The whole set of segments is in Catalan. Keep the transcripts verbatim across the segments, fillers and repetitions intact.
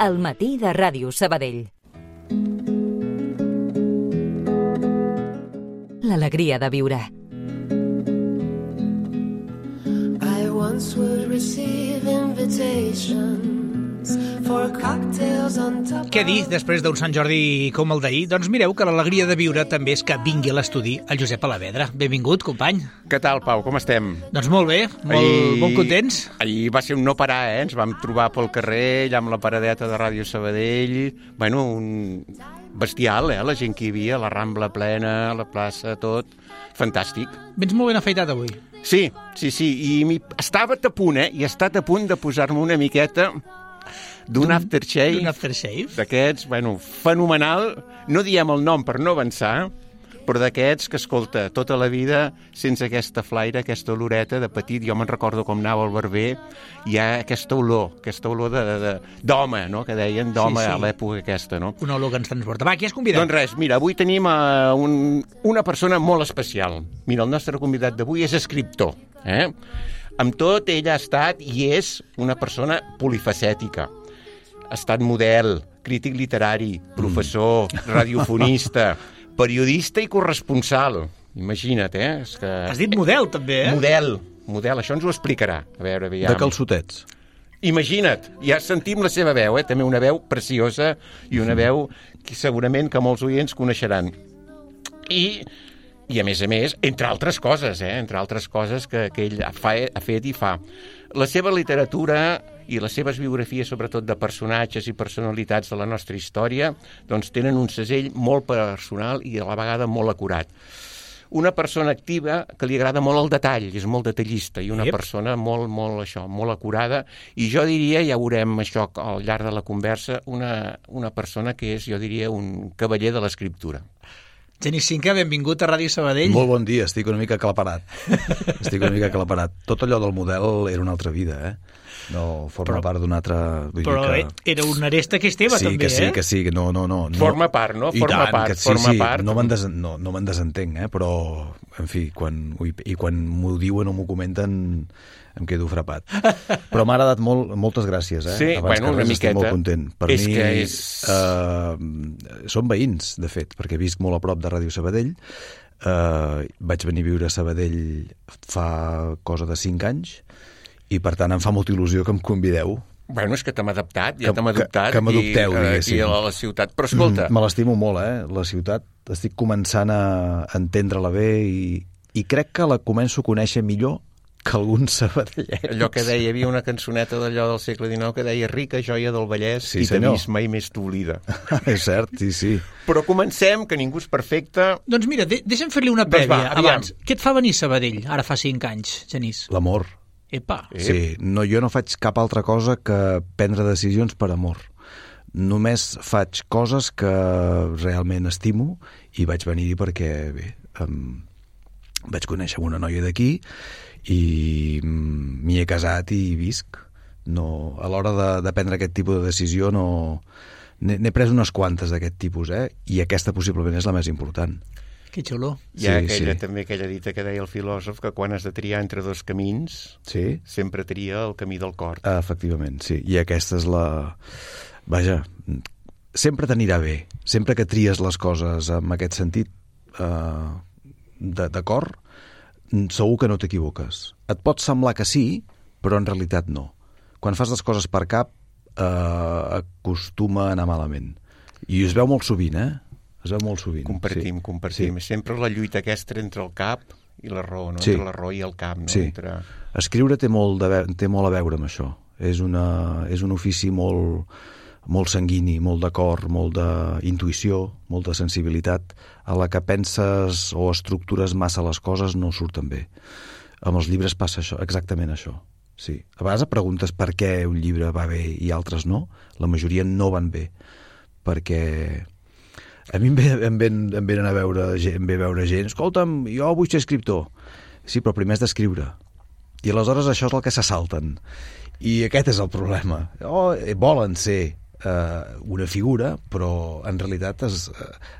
al matí de Ràdio Sabadell. L'alegria de viure. I once would receive invitations for cocktails on top. Què dir després d'un Sant Jordi com el d'ahir? Doncs mireu que l'alegria de viure també és que vingui a l'estudi el Josep Alavedra. Benvingut, company. Què tal, Pau? Com estem? Doncs molt bé, molt, ahir, molt contents. Ahir va ser un no parar, eh? Ens vam trobar pel carrer, allà amb la paradeta de Ràdio Sabadell. Bueno, un bestial, eh? La gent que hi havia, la Rambla plena, la plaça, tot. Fantàstic. Vens molt ben afaitat avui. Sí, sí, sí. I estava a punt, eh? I he estat a punt de posar-me una miqueta d'un aftershave, d'un aftershave d'aquests, bueno, fenomenal. No diem el nom per no avançar, però d'aquests que, escolta, tota la vida sense aquesta flaire, aquesta oloreta de petit. Jo me'n recordo com anava al barber, hi ha aquesta olor, aquesta olor de, de, d'home, no?, que deien d'home, sí, sí, a l'època aquesta, no? Una olor que ens transporta. Va, qui has convidat? Doncs res, mira, avui tenim uh, un, una persona molt especial. Mira, el nostre convidat d'avui és escriptor, eh? Amb tot, ell ha estat i és una persona polifacètica. Ha estat model, crític literari, professor, mm. radiofonista, periodista i corresponsal. Imagina't, eh? És que... Has dit model, també, eh? Model, model, això ens ho explicarà. A veure, aviam. De calçotets. Imagina't, ja sentim la seva veu, eh? També una veu preciosa i una veu que segurament que molts oients coneixeran. I... I, a més a més, entre altres coses, eh? entre altres coses que, que ell fa, ha fet i fa. La seva literatura i les seves biografies, sobretot de personatges i personalitats de la nostra història, doncs tenen un segell molt personal i a la vegada molt acurat. Una persona activa que li agrada molt el detall, és molt detallista, i una yep. persona molt, molt, això, molt acurada, i jo diria, ja veurem això al llarg de la conversa, una, una persona que és, jo diria, un cavaller de l'escriptura. Genís Cinca, benvingut a Ràdio Sabadell. Molt bon dia, estic una mica aclaparat. Estic una mica aclaparat. Tot allò del model era una altra vida, eh? No forma però, part d'una altra... Vull però dir que... era un aresta que és teva, sí, també, que sí, eh? que sí, que no, no, no. Forma part, no? Forma tant, part, que sí, forma sí, part. No me'n des, no, no me desentenc, eh? Però, en fi, quan, i quan m'ho diuen o m'ho comenten... em quedo frapat. Però m'ha agradat molt, moltes gràcies, eh? Sí, abans bueno, que res, una miqueta. estic molt content. Per és mi, que és... Uh, som veïns, de fet, perquè visc molt a prop de Ràdio Sabadell. Uh, vaig venir a viure a Sabadell fa cosa de cinc anys i, per tant, em fa molta il·lusió que em convideu. Bueno, és que t'hem adaptat, ja que, t'hem adoptat. Que, que m'adopteu, aquí, diguéssim. Aquí a la ciutat. Però escolta... Mm, me l'estimo molt, eh? La ciutat, estic començant a entendre-la bé i, i crec que la començo a conèixer millor que alguns sabadellencs. Allò que deia, hi havia una cançoneta d'allò del segle dinou que deia rica joia del Vallès, sí, i t'he senyor. vist mai més t'oblida. És cert, sí, sí. Però comencem, que ningú és perfecte. Doncs mira, de deixa'm fer-li una prèvia doncs va, abans. Què et fa venir a Sabadell, ara fa cinc anys, Genís? L'amor. Epa. Sí, no, jo no faig cap altra cosa que prendre decisions per amor. Només faig coses que realment estimo i vaig venir-hi perquè, bé, um, vaig conèixer una noia d'aquí i m'hi he casat i visc. No, a l'hora de, de prendre aquest tipus de decisió no... n'he pres unes quantes d'aquest tipus, eh? I aquesta possiblement és la més important. Que xulo. Hi ha sí, aquella, sí. també aquella dita que deia el filòsof que quan has de triar entre dos camins, sí? sempre tria el camí del cor. Ah, efectivament, sí. I aquesta és la... Vaja, sempre t'anirà bé. Sempre que tries les coses en aquest sentit eh, de, de cor, segur que no t'equivoques. Et pot semblar que sí, però en realitat no. Quan fas les coses per cap, eh, acostuma a anar malament. I es veu molt sovint, eh? Es veu molt sovint. Compartim, sí. compartim. Sí. Sempre la lluita aquesta entre el cap i la raó, no? Sí. Entre la raó i el cap, no? Sí. Entre... Escriure té molt, de, té molt a veure amb això. És, una, és un ofici molt, molt sanguini, molt de cor, molt d'intuïció, molta sensibilitat, a la que penses o estructures massa les coses no surten bé. Amb els llibres passa això, exactament això. Sí. A vegades et preguntes per què un llibre va bé i altres no. La majoria no van bé, perquè a mi em, ve, em, ven, em venen a veure, em ve a veure gent, escolta'm, jo vull ser escriptor. Sí, però primer has d'escriure. I aleshores això és el que se salten. I aquest és el problema. Oh, volen ser eh, una figura, però en realitat es,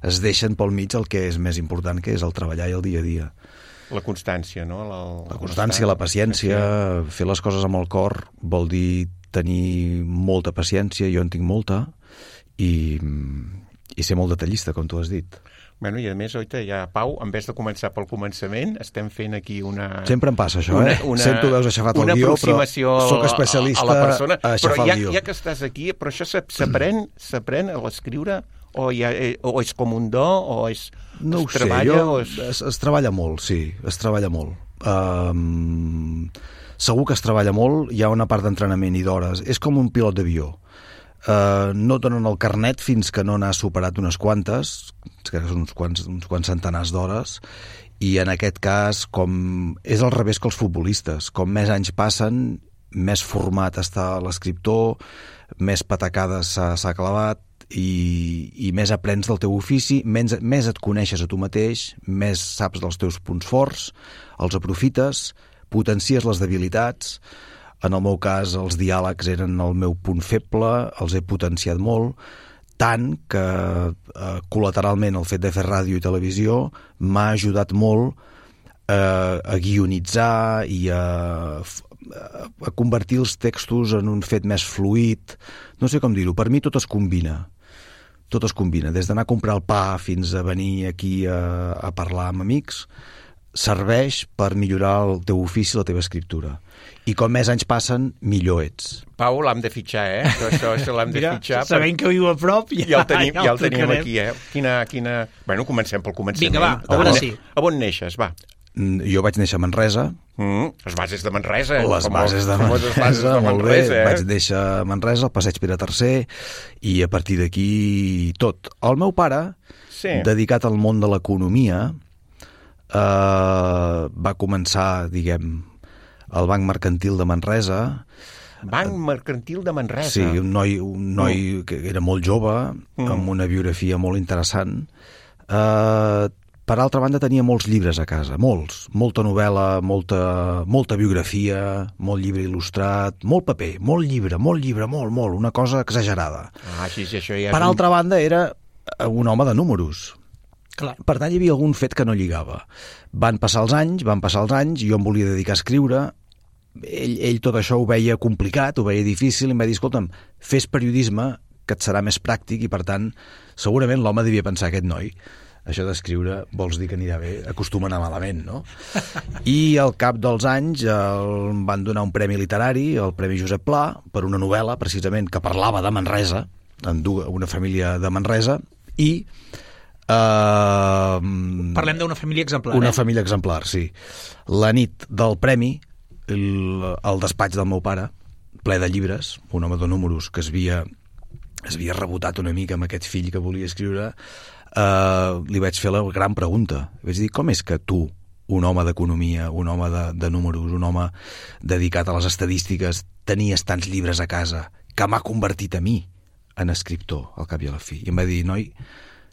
es deixen pel mig el que és més important, que és el treballar i el dia a dia. La constància, no? La, la constància, la paciència, fer les coses amb el cor vol dir tenir molta paciència, jo en tinc molta, i, i ser molt detallista, com tu has dit. Bueno, i a més, oita, ja, Pau, en vez de començar pel començament, estem fent aquí una... Sempre em passa això, una, eh? Una, Sento veus aixafat el guió, però soc especialista a, a la persona. a aixafar però ja, el guió. ja que estàs aquí, però això s'aprèn s'aprèn a l'escriure? O, ja, o és com un do? O és, no es ho sé, treballa, jo, o és... es, es treballa molt, sí, es treballa molt. Um, segur que es treballa molt, hi ha una part d'entrenament i d'hores. És com un pilot d'avió. Uh, no et donen el carnet fins que no n'has superat unes quantes, que són uns quants, uns quants centenars d'hores, i en aquest cas com és al revés que els futbolistes. Com més anys passen, més format està l'escriptor, més patacades s'ha clavat, i, i més aprens del teu ofici, més, més et coneixes a tu mateix, més saps dels teus punts forts, els aprofites, potencies les debilitats. En el meu cas, els diàlegs eren el meu punt feble, els he potenciat molt, tant que eh, col·lateralment el fet de fer ràdio i televisió m'ha ajudat molt eh, a guionitzar i a, a convertir els textos en un fet més fluid. No sé com dir-ho, per mi tot es combina. Tot es combina, des d'anar a comprar el pa fins a venir aquí a, a parlar amb amics, serveix per millorar el teu ofici, la teva escriptura. I com més anys passen, millor ets. Pau, l'hem de fitxar, eh? Això, això l'hem de Mira, fitxar. sabent per... que viu a prop, ja, ja el tenim, ja ja el tenim aquí, eh? Quina, quina... Bueno, comencem pel començament. Vinga, va, a ara on, sí. A on neixes, va? Jo vaig néixer a Manresa. Mm, les bases de Manresa. Les com bases de famoses Manresa, bases de molt Manresa, bé. Eh? Vaig néixer a Manresa, al passeig Pere tercer, i a partir d'aquí tot. El meu pare, sí. dedicat al món de l'economia, eh, va començar, diguem, al Banc Mercantil de Manresa. Banc Mercantil de Manresa. Sí, un noi, un noi mm. que era molt jove, mm. amb una biografia molt interessant. Eh, per altra banda, tenia molts llibres a casa, molts. Molta novel·la, molta, molta biografia, molt llibre il·lustrat, molt paper, molt llibre, molt llibre, molt, molt, una cosa exagerada. Ah, sí, sí, això ja per un... altra banda, era un home de números. Clar. Per tant, hi havia algun fet que no lligava. Van passar els anys, van passar els anys, jo em volia dedicar a escriure. Ell, ell tot això ho veia complicat, ho veia difícil, i em va dir, escolta'm, fes periodisme, que et serà més pràctic, i per tant, segurament l'home devia pensar, aquest noi, això d'escriure vols dir que anirà bé, acostuma a anar malament, no? I al cap dels anys el, em van donar un premi literari, el Premi Josep Pla, per una novel·la, precisament, que parlava de Manresa, en una família de Manresa, i... Uh, Parlem d'una família exemplar, Una eh? família exemplar, sí. La nit del premi, el, el despatx del meu pare, ple de llibres, un home de números que es havia, es havia rebotat una mica amb aquest fill que volia escriure, uh, li vaig fer la gran pregunta. Vaig dir, com és que tu, un home d'economia, un home de, de números, un home dedicat a les estadístiques, tenies tants llibres a casa que m'ha convertit a mi en escriptor, al cap i a la fi? I em va dir, noi,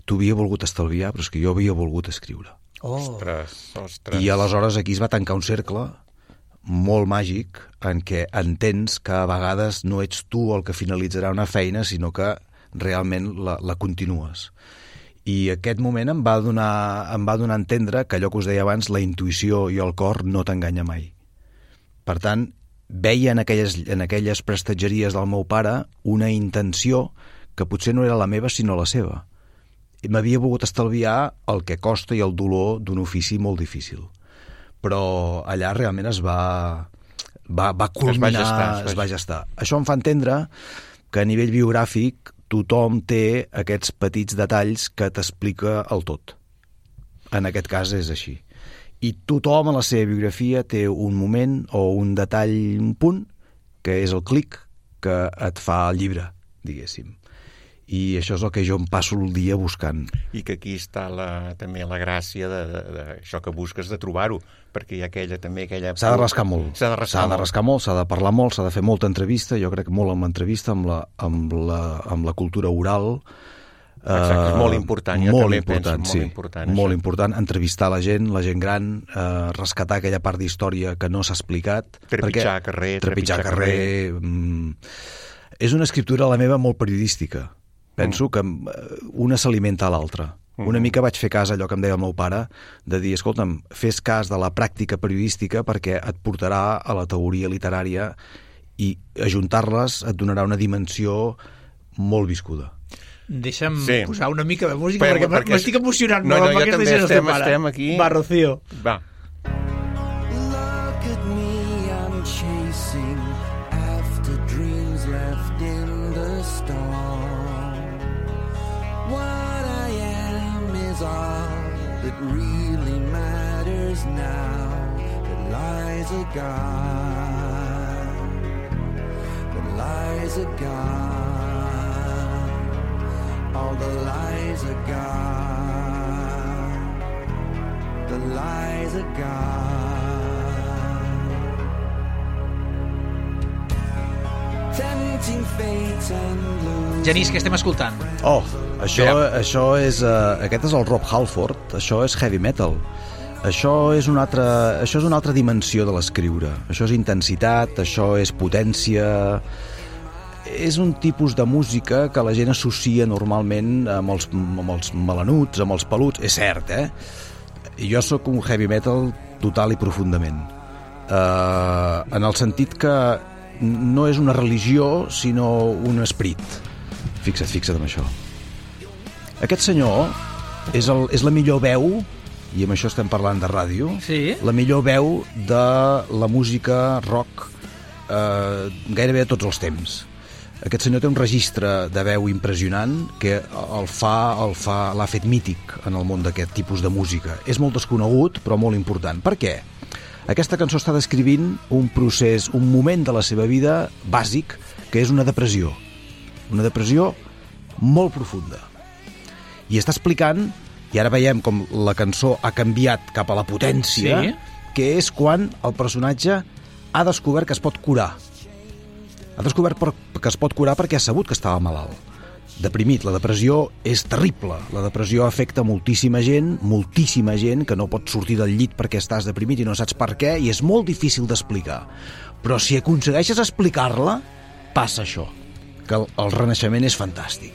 tu havia volgut estalviar, però és que jo havia volgut escriure. Oh. Ostres, ostres. I aleshores aquí es va tancar un cercle molt màgic en què entens que a vegades no ets tu el que finalitzarà una feina, sinó que realment la, la continues. I aquest moment em va donar, em va donar a entendre que allò que us deia abans, la intuïció i el cor no t'enganya mai. Per tant, veia en aquelles, en aquelles prestatgeries del meu pare una intenció que potser no era la meva, sinó la seva. M'havia volgut estalviar el que costa i el dolor d'un ofici molt difícil. Però allà realment es va, va, va culminar, es va, gestar, es, va... es va gestar. Això em fa entendre que a nivell biogràfic tothom té aquests petits detalls que t'explica el tot. En aquest cas és així. I tothom a la seva biografia té un moment o un detall, un punt, que és el clic que et fa el llibre, diguéssim. I això és el que jo em passo el dia buscant. I que aquí està la, també la gràcia d'això que busques de trobar-ho, perquè hi ha aquella també... aquella... S'ha de rascar molt. S'ha de rascar, s'ha de rascar molt, s'ha de parlar molt, s'ha de fer molta entrevista, jo crec molt amb l'entrevista, amb la, amb la, amb la cultura oral. Exacte, és molt important, jo molt també important, penso, sí, molt important. Molt això. important, entrevistar la gent, la gent gran, eh, rescatar aquella part d'història que no s'ha explicat. Trepitjar carrer, trepitjar carrer. carrer mm, és una escriptura, la meva, molt periodística. Penso que una s'alimenta a l'altra. Una mica vaig fer cas a allò que em deia el meu pare, de dir, escolta'm, fes cas de la pràctica periodística perquè et portarà a la teoria literària i ajuntar-les et donarà una dimensió molt viscuda. Deixa'm Sí. posar una mica de música, Però, perquè, perquè m'estic emocionant no, molt no, amb jo aquesta també gent estem- pare. estem aquí. Va, Rocío. Va. Look at me, I'm chasing after dreams left in the storm. What I am is all that really matters now. That lies a God, that lies a God, all the lies are gone, the lies are gone. Tempting fate and losing. Genís, què estem escoltant? Oh, això, Bé. això és... Uh, aquest és el Rob Halford, això és heavy metal. Això és, una altra, això és una altra dimensió de l'escriure. Això és intensitat, això és potència... És un tipus de música que la gent associa normalment amb els, amb els melanuts, amb els peluts. És cert, eh? Jo sóc un heavy metal total i profundament. Uh, en el sentit que no és una religió, sinó un esperit. Fixa't, fixa't en això. Aquest senyor és, el, és la millor veu, i amb això estem parlant de ràdio, Sí. la millor veu de la música rock eh, gairebé de tots els temps. Aquest senyor té un registre de veu impressionant que el fa, el fa, l'ha fet mític en el món d'aquest tipus de música. És molt desconegut, però molt important. Per què? Aquesta cançó està descrivint un procés, un moment de la seva vida bàsic, que és una depressió. Una depressió molt profunda. I està explicant, i ara veiem com la cançó ha canviat cap a la potència, Sí. que és quan el personatge ha descobert que es pot curar. Ha descobert per, que es pot curar perquè ha sabut que estava malalt. Deprimit. La depressió és terrible. La depressió afecta moltíssima gent, moltíssima gent que no pot sortir del llit perquè estàs deprimit i no saps per què, i és molt difícil d'explicar. Però si aconsegueixes explicar-la, passa això, que el, el renaixement és fantàstic.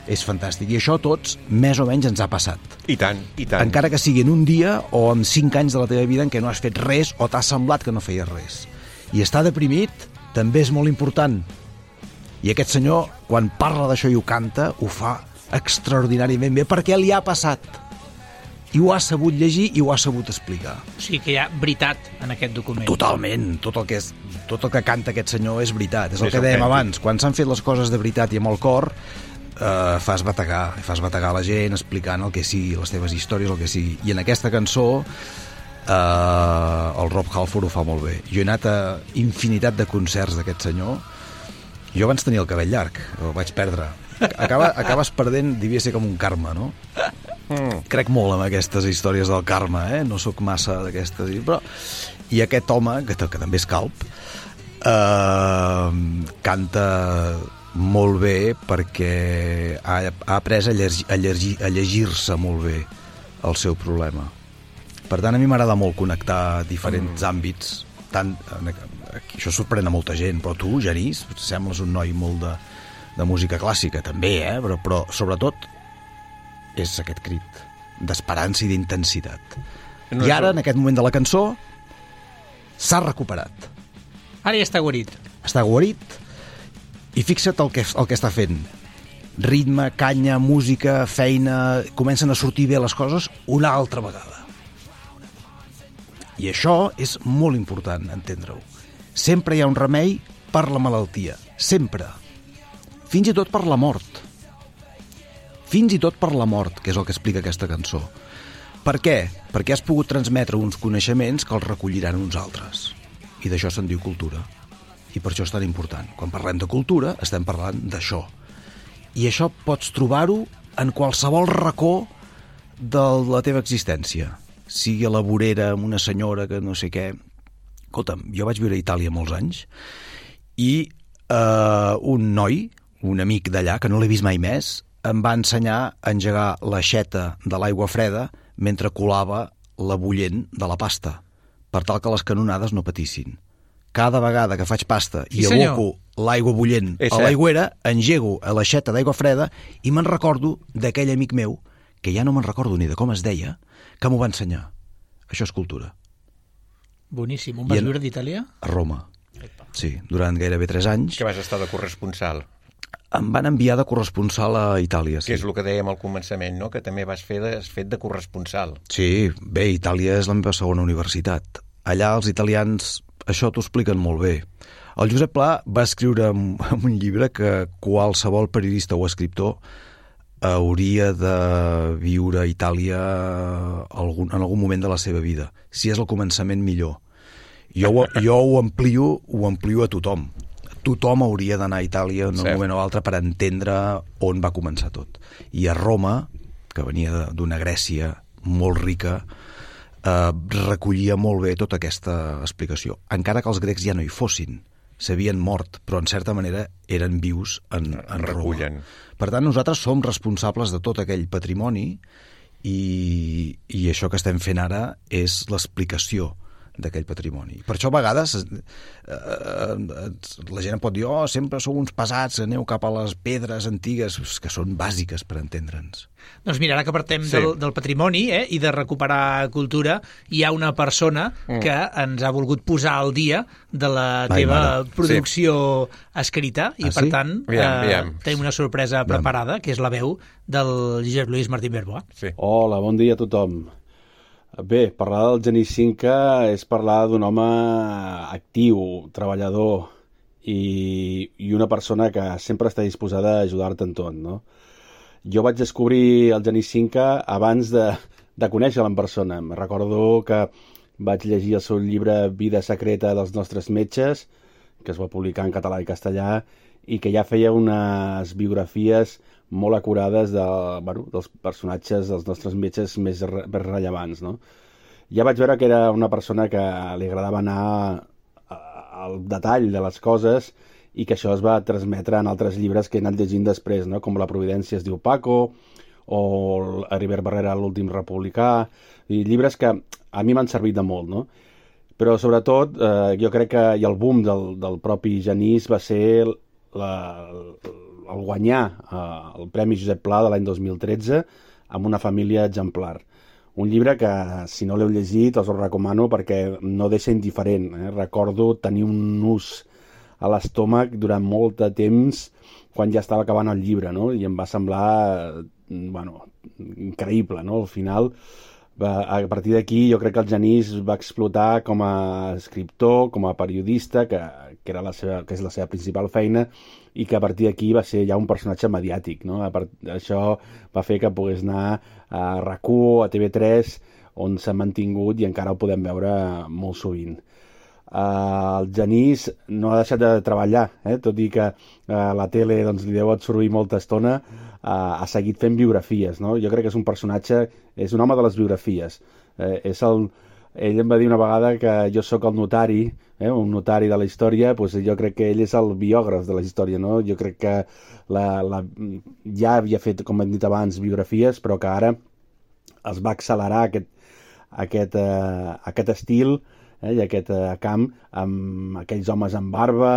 És fantàstic. I això a tots, més o menys, ens ha passat. I tant, i tant. Encara que sigui en un dia o en cinc anys de la teva vida en què no has fet res o t'ha semblat que no feies res. I estar deprimit també és molt important. I aquest senyor, quan parla d'això i ho canta, ho fa extraordinàriament bé perquè li ha passat. I ho ha sabut llegir i ho ha sabut explicar. O sigui que hi ha veritat en aquest document. Totalment. Tot el que, és, tot el que canta aquest senyor és veritat. És el És que dèiem autèntic. abans. Quan s'han fet les coses de veritat i amb el cor, eh, fas bategar. Fas bategar la gent explicant el que sigui, les teves històries, el que sigui. I en aquesta cançó eh, el Rob Halford ho fa molt bé. Jo he anat a infinitat de concerts d'aquest senyor. Jo abans tenia el cabell llarg, el vaig perdre. Acaba, acabes perdent, devia ser com un karma, no? Mm. Crec molt en aquestes històries del karma, eh? No sóc massa d'aquestes, però... I aquest home, que, que també és calp, eh, canta molt bé perquè ha, ha après a, llegir, a, llegir, a llegir-se molt bé el seu problema. Per tant, a mi m'agrada molt connectar diferents mm. àmbits. Tant, això sorprèn a molta gent, però tu, Genís, sembles un noi molt de, de música clàssica, també, eh? Però, però sobretot és aquest crit d'esperança i d'intensitat. No I ara, és... en aquest moment de la cançó, s'ha recuperat. Ara ja està guarit. Està guarit i fixa't el que, el que està fent. Ritme, canya, música, feina... Comencen a sortir bé les coses una altra vegada. I això és molt important, entendre-ho. Sempre hi ha un remei per la malaltia. Sempre. Fins i tot per la mort. Fins i tot per la mort, que és el que explica aquesta cançó. Per què? Perquè has pogut transmetre uns coneixements que els recolliran uns altres. I d'això se'n diu cultura. I per això és tan important. Quan parlem de cultura, estem parlant d'això. I això pots trobar-ho en qualsevol racó de la teva existència. Sigui a la vorera amb una senyora que no sé què... Escolta'm, jo vaig viure a Itàlia molts anys i eh, un noi, un amic d'allà, que no l'he vist mai més, em va ensenyar a engegar l'aixeta de l'aigua freda mentre colava la bullent de la pasta, per tal que les canonades no patissin. Cada vegada que faig pasta i Sí, aboco l'aigua bullent És a cert. l'aigüera, engego a l'aixeta d'aigua freda i me'n recordo d'aquell amic meu, que ja no me'n recordo ni de com es deia, que m'ho va ensenyar. Això és cultura. Boníssim. On vas I en- viure d'Itàlia? A Roma. Sí, durant gairebé tres anys. Que vas estar de corresponsal. Em van enviar de corresponsal a Itàlia, sí. Que és el que dèiem al començament, no? Que també vas fer de, has fet de corresponsal. Sí, bé, Itàlia és la meva segona universitat. Allà els italians això t'ho expliquen molt bé. El Josep Pla va escriure en un llibre que qualsevol periodista o escriptor hauria de viure a Itàlia algun, en algun moment de la seva vida. Si és el començament, millor. Jo, jo ho amplio, ho amplio a tothom. Tothom hauria d'anar a Itàlia en un Cert. moment o altre per entendre on va començar tot. I a Roma, que venia d'una Grècia molt rica, eh, recollia molt bé tota aquesta explicació. Encara que els grecs ja no hi fossin, s'havien mort, però en certa manera eren vius en, en Roma. Per tant, nosaltres som responsables de tot aquell patrimoni i, i això que estem fent ara és l'explicació d'aquell patrimoni. Per això a vegades eh, eh, la gent pot dir oh, sempre sou uns pesats, aneu cap a les pedres antigues, que són bàsiques per entendre'ns. Doncs mira, ara que partem sí. del, del patrimoni eh, i de recuperar cultura, hi ha una persona mm. que ens ha volgut posar al dia de la Ai, teva mare. producció sí. escrita i ah, per sí? tant aviam, eh, aviam. tenim una sorpresa aviam. preparada, que és la veu del Josep Lluís Martín Verboa. Sí. Hola, bon dia a tothom. Bé, parlar del Genís Cinca és parlar d'un home actiu, treballador i, i una persona que sempre està disposada a ajudar-te en tot, no? Jo vaig descobrir el Genís Cinca abans de, de conèixer-lo en persona. Em recordo que vaig llegir el seu llibre Vida secreta dels nostres metges, que es va publicar en català i castellà, i que ja feia unes biografies molt acurades de, bueno, dels personatges dels nostres metges més, re, més rellevants, no? Ja vaig veure que era una persona que li agradava anar al detall de les coses i que això es va transmetre en altres llibres que he anat llegint després, no? Com La Providència es diu Paco o Heribert Barrera, L'últim republicà, i llibres que a mi m'han servit de molt, no? Però sobretot eh, jo crec que i el boom del, del propi Genís va ser la, el guanyar eh, el Premi Josep Pla de l'any dos mil tretze amb Una família exemplar. Un llibre que, si no l'heu llegit, us el recomano perquè no deixa indiferent. Eh? Recordo tenir un nus a l'estómac durant molt de temps quan ja estava acabant el llibre, no? I em va semblar bueno, increïble, no? Al final, a partir d'aquí, jo crec que el Genís va explotar com a escriptor, com a periodista, que, que, era la seva, que és la seva principal feina, i que a partir d'aquí va ser ja un personatge mediàtic, no? A part, això va fer que pogués anar a RAC u, a T V tres, on s'ha mantingut i encara ho podem veure molt sovint. Uh, el Genís no ha deixat de treballar, eh? Tot i que uh, la tele doncs, li deu absorbir molta estona, uh, ha seguit fent biografies, no? Jo crec que és un personatge, és un home de les biografies. Uh, és el, ell em va dir una vegada que jo sóc el notari, eh? un notari de la història, doncs jo crec que ell és el biògraf de la història, no? Jo crec que la, la, ja havia fet, com hem dit abans, biografies, però que ara es va accelerar aquest, aquest, uh, aquest estil, Eh, i aquest eh, camp amb aquells homes amb barba,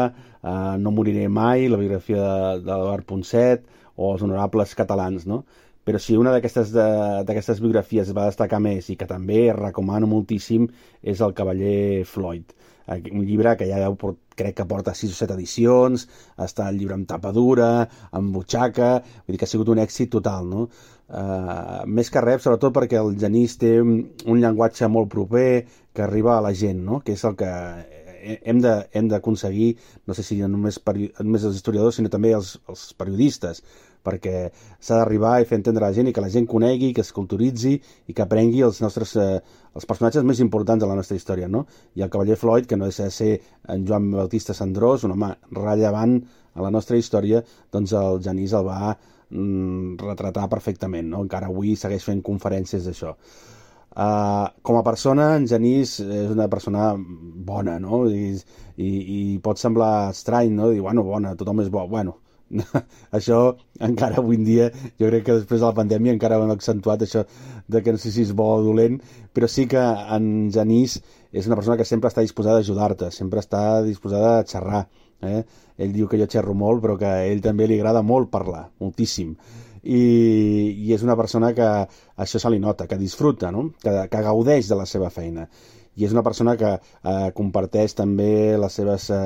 eh, No moriré mai, la biografia de, de l'Eduard Ponset o Els honorables catalans, no? Però si una d'aquestes d'aquestes biografies va destacar més i que també recomano moltíssim és El cavaller Floyd, un llibre que ja deu, crec que porta sis o set edicions, està el llibre amb tapa dura, amb butxaca, vull dir que ha sigut un èxit total, no? Uh, més que res, sobretot perquè el Genís té un llenguatge molt proper que arriba a la gent, no? Que és el que hem de, hem d'aconseguir, no sé si només, peri... només els historiadors, sinó també els, els periodistes, perquè s'ha d'arribar i fer entendre a la gent i que la gent conegui, que es culturitzi i que aprengui els nostres eh, els personatges més importants de la nostra història, no? I el cavaller Floyd, que no deixa de ser en Joan Bautista Cendrós, un home rellevant a la nostra història, doncs el Genís el va mm, retratar perfectament, no? Encara avui segueix fent conferències d'això. Uh, com a persona, en Genís és una persona bona, no? I, i, i pot semblar estrany, no? Dir, bueno, bona, tothom és bo. Bueno, això encara avui en dia, jo crec que després de la pandèmia encara ho hem accentuat, això de que no sé si és bo o dolent, però sí que en Genís és una persona que sempre està disposada a ajudar-te, sempre està disposada a xerrar. Eh? Ell diu que jo xerro molt, però que a ell també li agrada molt parlar, moltíssim. I, i és una persona que això se li nota, que disfruta, no? que, que gaudeix de la seva feina. i és una persona que eh, comparteix també les seves eh,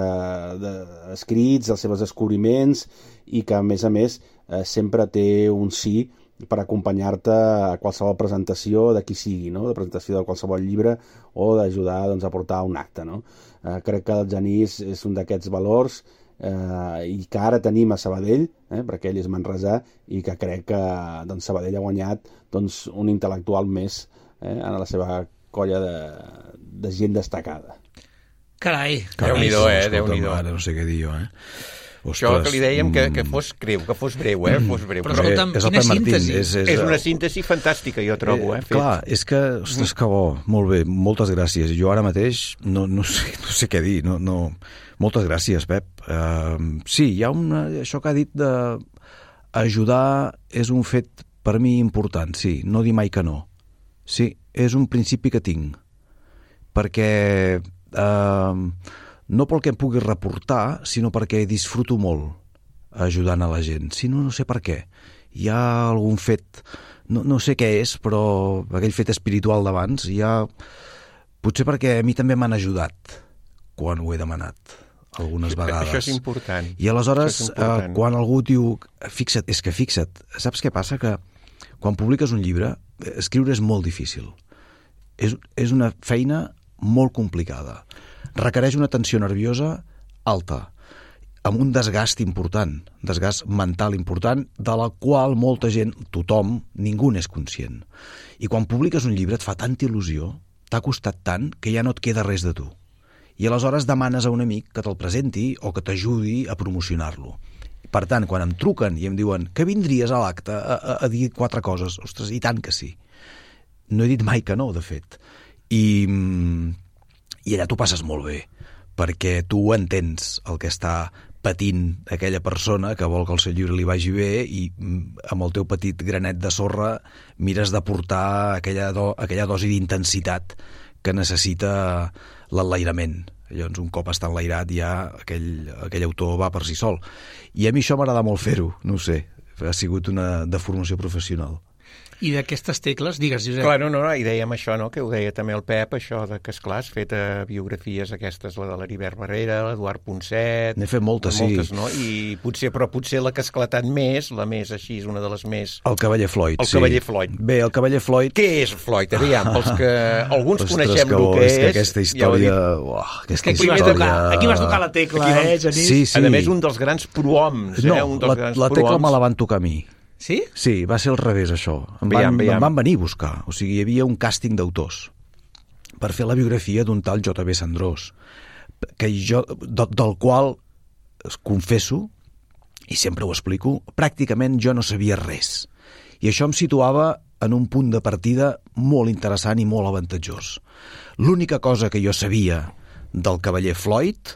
de, escrits, els seus descobriments, i que, a més a més, eh, sempre té un sí per acompanyar-te a qualsevol presentació de qui sigui, no? De presentació de qualsevol llibre o d'ajudar, doncs, a portar un acte, no? Eh, crec que el Genís és un d'aquests valors eh, i que ara tenim a Sabadell, eh, perquè ell és manresà, i que crec que doncs, Sabadell ha guanyat doncs, un intel·lectual més eh, en la seva colla de, de gent destacada. Carai! Déu-n'hi-do, eh? Déu-n'hi-do. Ara no sé què dir jo, eh? Això que li dèiem que, que fos creu, que fos breu, eh? Fos breu. Però escolta'm, és el quina Pep Martín, síntesi. és, és, És una síntesi fantàstica, jo trobo, eh? Eh, clar, és que, ostres, que bo, molt bé, moltes gràcies. Jo ara mateix no, no, sé, no sé què dir, no, no... Moltes gràcies, Pep. Uh, sí, hi ha una... Això que ha dit de ajudar és un fet per mi important, sí, no dir mai que no. Sí, és un principi que tinc, perquè... Uh, no pel que em pugui reportar, sinó perquè disfruto molt ajudant a la gent. Si no, no sé per què. Hi ha algun fet, no, no sé què és, però aquell fet espiritual d'abans, hi ha... Potser perquè a mi també m'han ajudat quan ho he demanat, algunes vegades. Això és important. I aleshores, és important. Eh, quan algú diu... Fixa't, és que fixa't, saps què passa? Que quan publiques un llibre, escriure és molt difícil. És, és una feina molt complicada. Requereix una tensió nerviosa alta, amb un desgast important, desgast mental important, de la qual molta gent, tothom, ningú n'és conscient. I quan publiques un llibre et fa tanta il·lusió, t'ha costat tant, que ja no et queda res de tu. I aleshores demanes a un amic que te'l presenti o que t'ajudi a promocionar-lo. Per tant, quan em truquen i em diuen que vindries a l'acte a, a, a dir quatre coses, ostres, i tant que sí. No he dit mai que no, de fet. I... I allà t'ho passes molt bé, perquè tu entens el que està patint aquella persona que vol que el seu llibre li vagi bé i amb el teu petit granet de sorra mires d'aportar aquella, do, aquella dosi d'intensitat que necessita l'enlairament. Llavors, un cop està enlairat, ja aquell, aquell autor va per si sol. I a mi això m'agrada molt fer-ho, no ho sé, ha sigut una deformació professional. I d'aquestes tecles, digues, Josep. Clar, no, no, i dèiem això, no?, que ho deia també el Pep, això de que, esclar, has fet eh, biografies aquestes, la de l'Heribert Barrera, l'Eduard Ponset... N'he fet moltes, moltes, sí. No? I potser, però potser la que ha esclatat més, la més així, una de les més... El Cavaller Floyd, el sí. Cavaller Floyd. Bé, el Cavaller Floyd... Què és Floyd? Aviam, pels que alguns Ostres, coneixem que el que és. és... Que aquesta història... Ja uah, aquesta aquí, vas tocar, aquí vas tocar la tecla, aquí, eh, Genís? Sí, sí. A més, un dels grans prohoms, no, eh? Un dels la, grans la tecla prohoms. me la van tocar a mi. Sí? Sí, va ser al revés, això. Em van, Veiem, veiem. em van venir a buscar. O sigui, hi havia un càsting d'autors per fer la biografia d'un tal J B Sandrós, que jo, de, del qual, confesso, i sempre ho explico, pràcticament jo no sabia res. I això em situava en un punt de partida molt interessant i molt avantatjós. L'única cosa que jo sabia del Cavaller Floyd,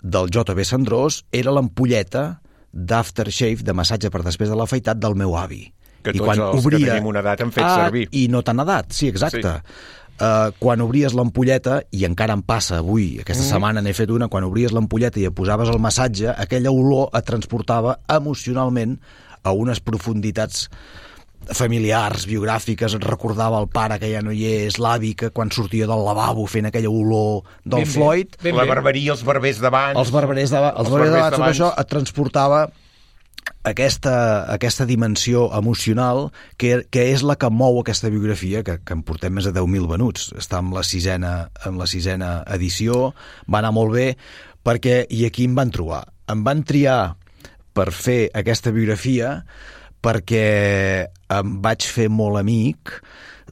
del J B Sandrós, era l'ampolleta d'aftershave, de massatge per després de l'afaitat del meu avi. Que I tots quan els obria... que tenim una edat han fet ah, servir. I no tan edat, sí, exacte. Sí. Uh, quan obries l'ampolleta, i encara em passa avui, aquesta mm. setmana n'he fet una, quan obries l'ampolleta i et posaves el massatge, aquella olor et transportava emocionalment a unes profunditats familiars, biogràfiques, et recordava el pare que ja no hi és, l'avi que quan sortia del lavabo fent aquella olor del ben Floyd... Ben la barberia, els barbers d'abans... Els barberers d'abans, els barberers d'abans, tot això et transportava aquesta, aquesta dimensió emocional que, que és la que mou aquesta biografia, que, que en portem més de deu mil venuts. Està en la sisena, en la sisena edició, va anar molt bé, perquè, i aquí em van trobar. Em van triar per fer aquesta biografia perquè em vaig fer molt amic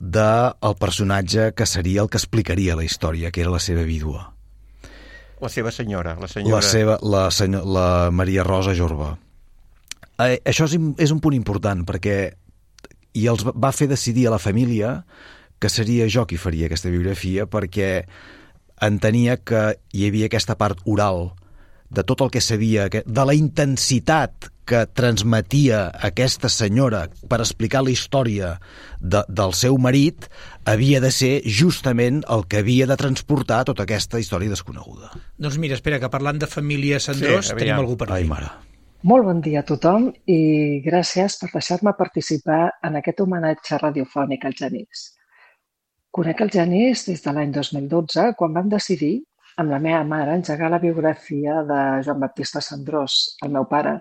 del personatge que seria el que explicaria la història, que era la seva vídua. La seva senyora. La, senyora... la, seva, la, senyor, la Maria Rosa Jorba. Eh, això és, és un punt important, perquè i els va fer decidir a la família que seria jo qui faria aquesta biografia, perquè entenia que hi havia aquesta part oral de tot el que sabia, de la intensitat que transmetia aquesta senyora per explicar la història de, del seu marit, havia de ser justament el que havia de transportar tota aquesta història desconeguda. Doncs mira, espera, que parlant de família Sandrós, sí, tenim algú per aquí. Ai, mare. Molt bon dia a tothom i gràcies per deixar-me participar en aquest homenatge radiofònic al Genís. conec el Genís des de l'any dos mil dotze, quan vam decidir, amb la meva mare, engegar la biografia de Joan Baptista Cendrós, el meu pare,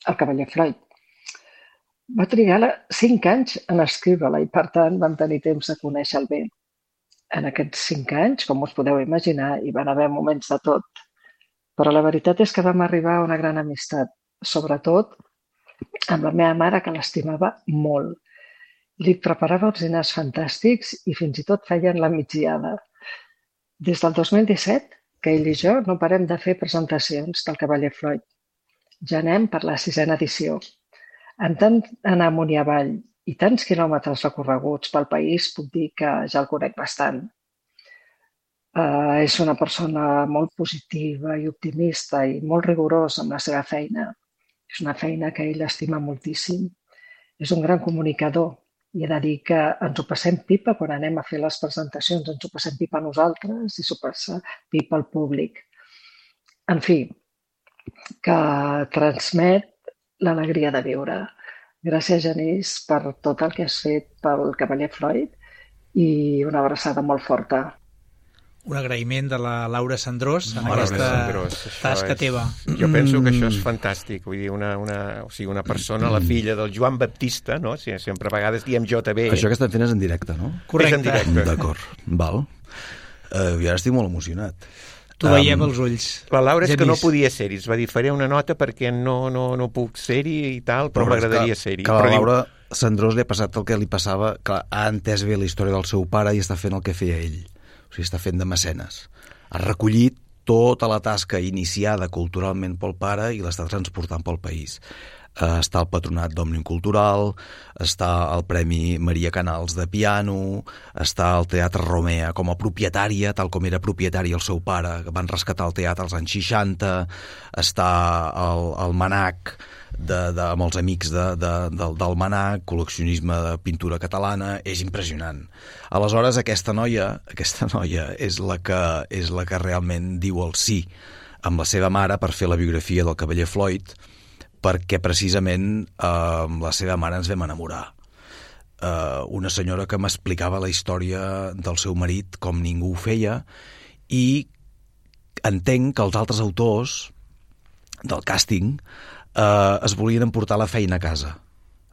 el cavaller Floyd. Va trigar cinc anys en escriure-la i, per tant, vam tenir temps de conèixer-el bé. En aquests cinc anys, com us podeu imaginar, hi van haver moments de tot. Però la veritat és que vam arribar a una gran amistat, sobretot amb la meva mare, que l'estimava molt. Li preparava uns dinars fantàstics i fins i tot feien la migdiada. Des del dos mil disset, que ell i jo no parem de fer presentacions del cavaller Floyd. Ja anem per la sisena edició. En tant anar amunt i avall i tants quilòmetres recorreguts pel país, puc dir que ja el conec bastant. Uh, és una persona molt positiva i optimista i molt rigorosa amb la seva feina. És una feina que ell estima moltíssim. És un gran comunicador i he de dir que ens ho passem pipa quan anem a fer les presentacions, ens ho passem pipa a nosaltres i s'ho passa pipa al públic. En fi, que transmet l'alegria de viure. Gràcies, Genís, per tot el que has fet pel cavaller Floyd i una abraçada molt forta. Un agraïment de la Laura Cendrós en Laura aquesta Cendrós, tasca és, teva. Jo penso que això és fantàstic. Vull dir, una, una, o sigui, una persona, la filla del Joan Baptista, no? Si, sempre a vegades diem J B. Això que estan fent és en directe, no? Correcte. És en directe. D'acord, val. Uh, jo ara estic molt emocionat. T'ho veiem um, als ulls. La Laura és Genís. que no podia ser-hi. Es va dir, faré una nota perquè no, no, no puc ser-hi i tal, però, però m'agradaria ser-hi. Que a la però Laura diu... Cendrós li ha passat el que li passava, que ha entès bé la història del seu pare i està fent el que feia ell. O sigui, està fent de mecenes. Ha recollit tota la tasca iniciada culturalment pel pare i l'està transportant pel país. Uh, està al Patronat d'Òmnium Cultural, està al Premi Maria Canals de piano, està al Teatre Romea com a propietària, tal com era propietari el seu pare, que van rescatar el teatre als anys seixanta, està al, al Manac, de, de, amb els amics de, de, del, del Manac, col·leccionisme de pintura catalana, és impressionant. Aleshores, aquesta noia, aquesta noia és la que, és la que realment diu el sí amb la seva mare per fer la biografia del cavaller Floyd, perquè precisament eh, amb la seva mare ens vam enamorar. Eh, una senyora que m'explicava la història del seu marit com ningú ho feia, i entenc que els altres autors del càsting eh, es volien emportar la feina a casa.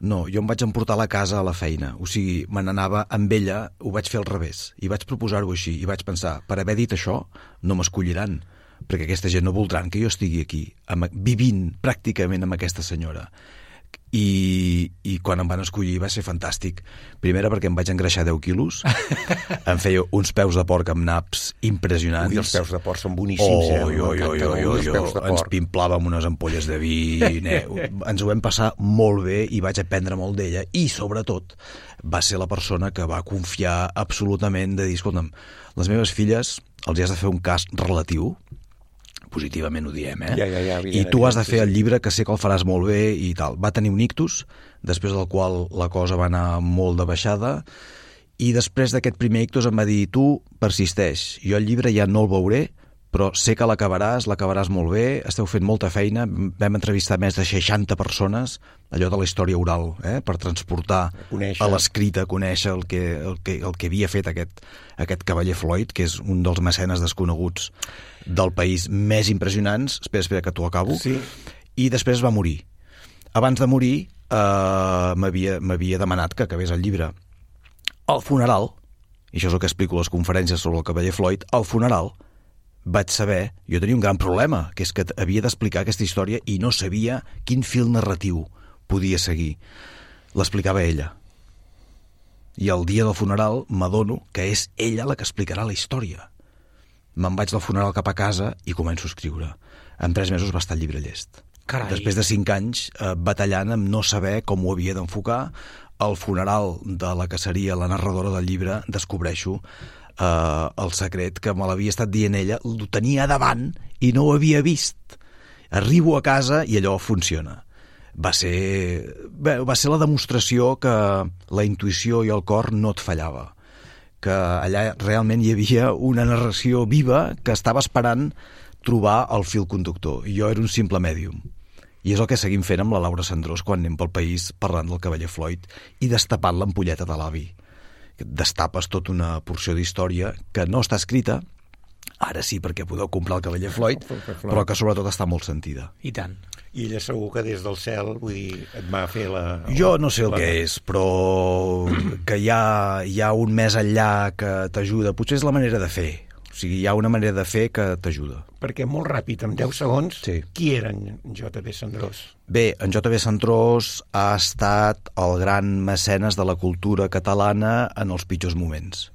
No, jo em vaig emportar la casa a la feina. O sigui, me n'anava amb ella, ho vaig fer al revés, i vaig proposar-ho així, i vaig pensar, per haver dit això, no m'escolliran, perquè aquesta gent no voldran que jo estigui aquí, amb, vivint pràcticament amb aquesta senyora. I, i quan em van escollir va ser fantàstic. Primera perquè em vaig engreixar deu quilos, em feia uns peus de porc amb naps impressionants. Ui, els peus de porc són boníssims, oh, eh? Jo, jo, jo, jo, jo. Ens pimplàvem unes ampolles de vi, ne, ens ho vam passar molt bé i vaig aprendre molt d'ella, i sobretot va ser la persona que va confiar absolutament de dir, escolta'm, les meves filles els has de fer un cas relatiu, positivament ho diem, eh? Ja, ja, ja, I tu has de fer el llibre, que sé que el faràs molt bé i tal. Va tenir un ictus, després del qual la cosa va anar molt de baixada, i després d'aquest primer ictus em va dir, tu persisteix, jo el llibre ja no el veuré, però sé que l'acabaràs, l'acabaràs molt bé, esteu fent molta feina, vam entrevistar més de seixanta persones, allò de la història oral, eh? Per transportar conèixer. A l'escrit, a conèixer el que, el, que, el que havia fet aquest, aquest cavaller Floyd, que és un dels mecenes desconeguts del país més impressionants. Espera, espera, que t'ho acabo. Sí. I després va morir. Abans de morir eh, m'havia demanat que acabés el llibre. Al funeral, i això és el que explico a les conferències sobre el cavaller Floyd, al funeral vaig saber, jo tenia un gran problema, que és que havia d'explicar aquesta història i no sabia quin fil narratiu podia seguir. L'explicava ella. I el dia del funeral m'adono que és ella la que explicarà la història. Me'n vaig del funeral cap a casa i començo a escriure. En tres mesos va estar el llibre llest. Carai. Després de cinc anys eh, batallant amb no saber com ho havia d'enfocar, al funeral de la que seria la narradora del llibre descobreixo Uh, el secret que me l'havia estat dient ella, ho tenia davant i no ho havia vist. Arribo a casa i allò funciona. Va ser, bé, va ser la demostració que la intuïció i el cor no et fallava, que allà realment hi havia una narració viva que estava esperant trobar el fil conductor, i jo era un simple mèdium. I és el que seguim fent amb la Laura Cendrós quan anem pel país parlant del cavaller Floyd i destapant l'ampolleta de l'avi, destapes tota una porció d'història que no està escrita, ara sí perquè podeu comprar el Cavaller Floyd, però que sobretot està molt sentida. I tant. I ella segur que des del cel, vull dir, et va fer la... Jo no sé el la... que és, però que hi ha, hi ha un més enllà que t'ajuda. Potser és la manera de fer. O sigui, hi ha una manera de fer que t'ajuda. Perquè molt ràpid, en deu segons, sí. Qui era en J B Cendrós? Bé, en J B Cendrós ha estat el gran mecenes de la cultura catalana en els pitjors moments.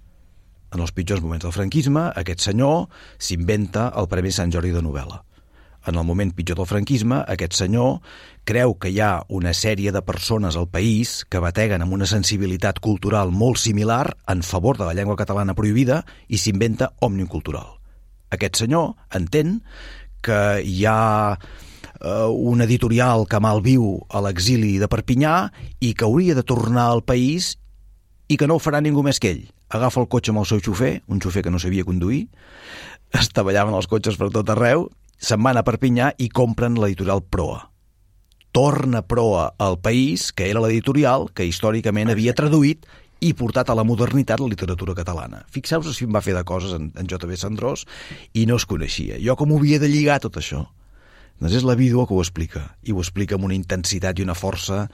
En els pitjors moments del franquisme, aquest senyor s'inventa el Premi Sant Jordi de novel·la. En el moment pitjor del franquisme, aquest senyor creu que hi ha una sèrie de persones al país que bateguen amb una sensibilitat cultural molt similar en favor de la llengua catalana prohibida i s'inventa Òmnium Cultural. Aquest senyor entén que hi ha eh, un editorial que malviu a l'exili de Perpinyà i que hauria de tornar al país i que no ho farà ningú més que ell. Agafa el cotxe amb el seu xofer, un xofer que no sabia conduir, estavellaven els cotxes per tot arreu, se'n van a Perpinyà i compren l'editorial Proa. Torna Proa al país, que era l'editorial que històricament havia traduït i portat a la modernitat la literatura catalana. Fixeu-vos si em va fer de coses en, en J B Cendrós i no es coneixia. Jo com ho havia de lligar tot això? Doncs és la vídua que ho explica, i ho explica amb una intensitat i una força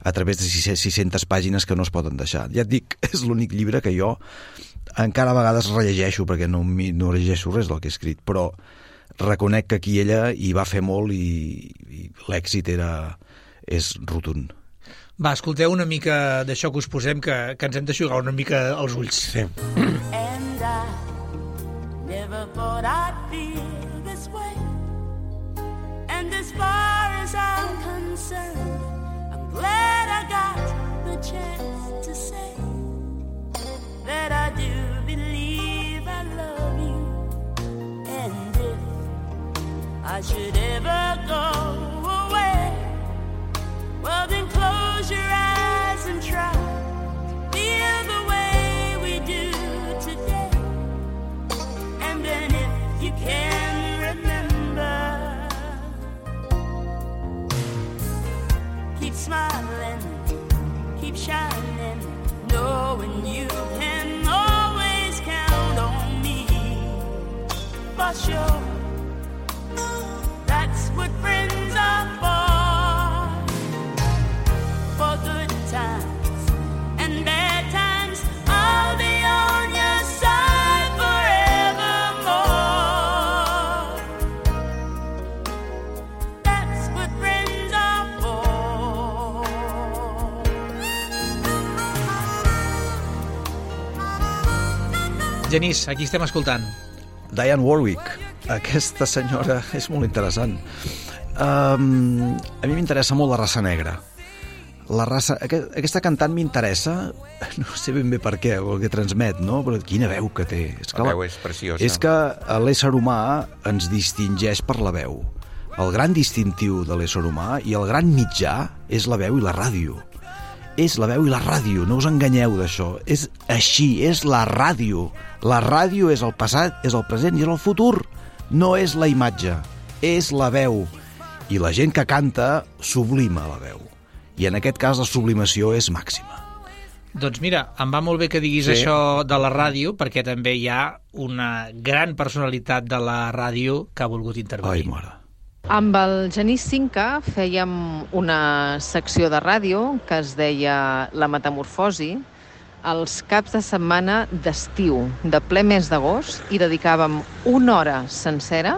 a través de sis-centes pàgines que no es poden deixar. Ja et dic, és l'únic llibre que jo encara a vegades rellegeixo, perquè no, no llegeixo res del que he escrit, però reconec que aquí ella hi va fer molt i, i l'èxit era, és rotund. Va, escolteu una mica d'això que us posem, que, que ens hem d'aixugar una mica els ulls. Sí. And I never thought I'd feel this way. And as far as I'm concerned, I'm glad I got the chance to say that I do believe I love you. And if I should ever go away, well then close your eyes and try to feel the way we do today. And then if you can remember, keep smiling, keep shining, knowing you can always count on me. For sure, that's what friends are for. For good times and bad times, I'll be on your side forevermore. That's what friends are for. Genís, aquí estem escoltant. Dionne Warwick. Aquesta senyora és molt interessant. Um, a mi m'interessa molt la raça negra. La raça, aquest, aquesta cantant m'interessa, no sé ben bé per què, o el que transmet, no? Però quina veu que té. És que la veu és preciosa. És que l'ésser humà ens distingeix per la veu. El gran distintiu de l'ésser humà i el gran mitjà és la veu i la ràdio. És la veu i la ràdio, no us enganyeu d'això. És així, és la ràdio. La ràdio és el passat, és el present i és el futur. No és la imatge, és la veu. I la gent que canta sublima la veu. I en aquest cas la sublimació és màxima. Doncs mira, em va molt bé que diguis sí. això de la ràdio, perquè també hi ha una gran personalitat de la ràdio que ha volgut intervenir. Ai, mare. Amb el Genís Cinca fèiem una secció de ràdio que es deia La Metamorfosi, els caps de setmana d'estiu, de ple mes d'agost, i dedicàvem una hora sencera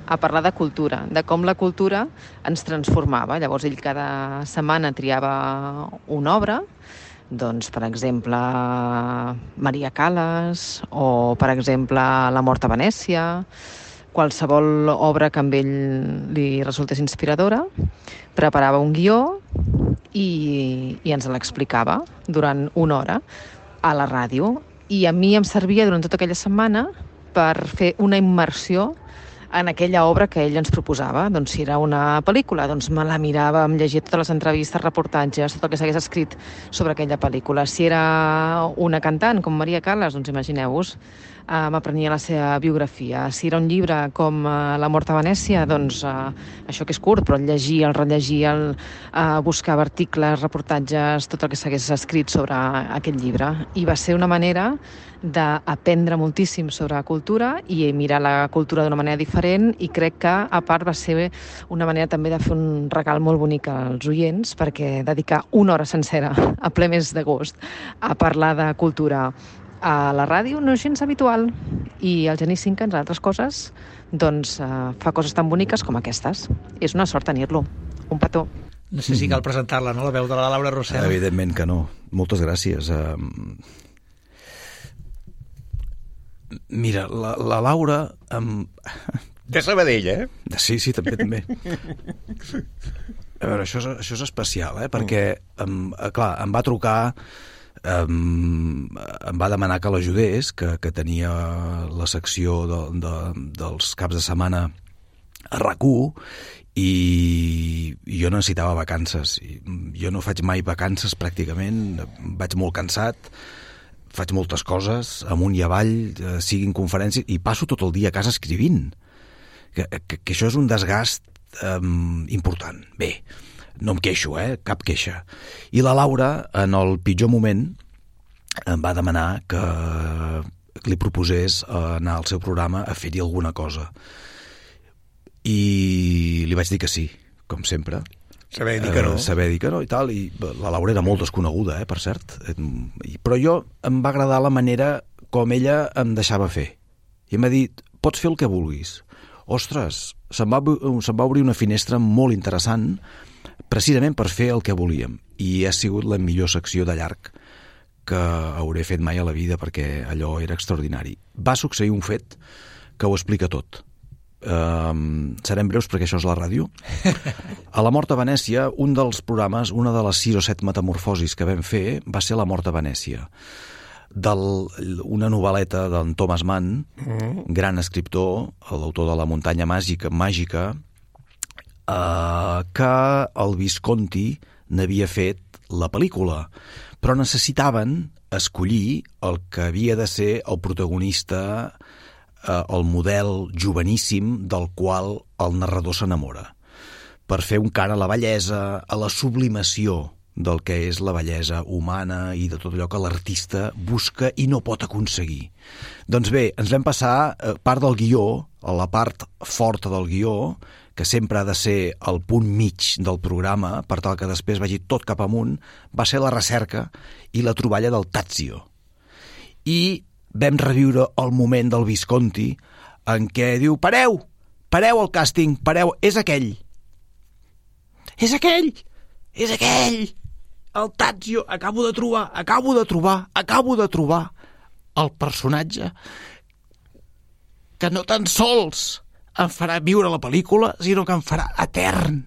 a parlar de cultura, de com la cultura ens transformava. Llavors ell cada setmana triava una obra, doncs, per exemple, Maria Callas, o, per exemple, La mort a Venècia, qualsevol obra que amb ell li resultés inspiradora, preparava un guió i, i ens l'explicava durant una hora a la ràdio. I a mi em servia durant tota aquella setmana per fer una immersió en aquella obra que ell ens proposava. Doncs si era una pel·lícula, doncs me la mirava, em llegia totes les entrevistes, reportatges, tot el que s'hagués escrit sobre aquella pel·lícula. Si era una cantant, com Maria Callas, doncs imagineu-vos, eh, m'aprenia la seva biografia. Si era un llibre com eh, La mort a Venècia, doncs eh, això que és curt, però el llegir, el rellegir, el eh, buscava articles, reportatges, tot el que s'hagués escrit sobre aquell llibre. I va ser una manera d'aprendre moltíssim sobre cultura i mirar la cultura d'una manera diferent, i crec que a part va ser una manera també de fer un regal molt bonic als oients, perquè dedicar una hora sencera a ple mes d'agost a parlar de cultura a la ràdio no és gens habitual, i el Genís Cinca, entre altres coses, doncs eh, fa coses tan boniques com aquestes. És una sort tenir-lo. Un petó. No sé si cal presentar-la, no?, la veu de la Laura Rossell. Evidentment que no. Moltes gràcies. Uh, mira, la, la Laura... Um... De Sabadell, eh? Sí, sí, també, també. A veure, això és, això és especial, eh? Perquè, um, clar, em va trucar... Um, em va demanar que l'ajudés, que, que tenia la secció de, de, dels caps de setmana a RAC u, i jo necessitava vacances. Jo no faig mai vacances pràcticament, vaig molt cansat, faig moltes coses, amunt i avall, siguin conferències, i passo tot el dia a casa escrivint, que, que, que això és un desgast um, important. Bé, no em queixo, eh? Cap queixa. I la Laura, en el pitjor moment, em va demanar que li proposés anar al seu programa a fer-hi alguna cosa. I li vaig dir que sí, com sempre. Saber dir que no. Eh, saber dir que no i tal. I la Laura era molt desconeguda, eh, per cert. Però jo em va agradar la manera com ella em deixava fer. I em va dir, pots fer el que vulguis. Ostres, se'm va, se'm va obrir una finestra molt interessant precisament per fer el que volíem, i ha sigut la millor secció de llarg que hauré fet mai a la vida, perquè allò era extraordinari. Va succeir un fet que ho explica tot. Um, serem breus perquè això és la ràdio. A La mort a Venècia, un dels programes, una de les sis o set metamorfosis que vam fer va ser La mort a Venècia, del, una novel·leta d'en Thomas Mann, mm. gran escriptor, l'autor de La muntanya màgica, màgica Uh, que el Visconti n'havia fet la pel·lícula, però necessitaven escollir el que havia de ser el protagonista, uh, el model joveníssim del qual el narrador s'enamora, per fer un cant a la bellesa, a la sublimació del que és la bellesa humana i de tot allò que l'artista busca i no pot aconseguir. Doncs bé, ens vam passar uh, part del guió, a la part forta del guió, que sempre ha de ser el punt mig del programa, per tal que després vagi tot cap amunt, va ser la recerca i la troballa del Tazio. I vam reviure el moment del Visconti en què diu, pareu, pareu el càsting, pareu, és aquell. És aquell, és aquell. El Tazio, acabo de trobar, acabo de trobar, acabo de trobar el personatge que no tan sols em farà viure la pel·lícula, sinó que em farà etern.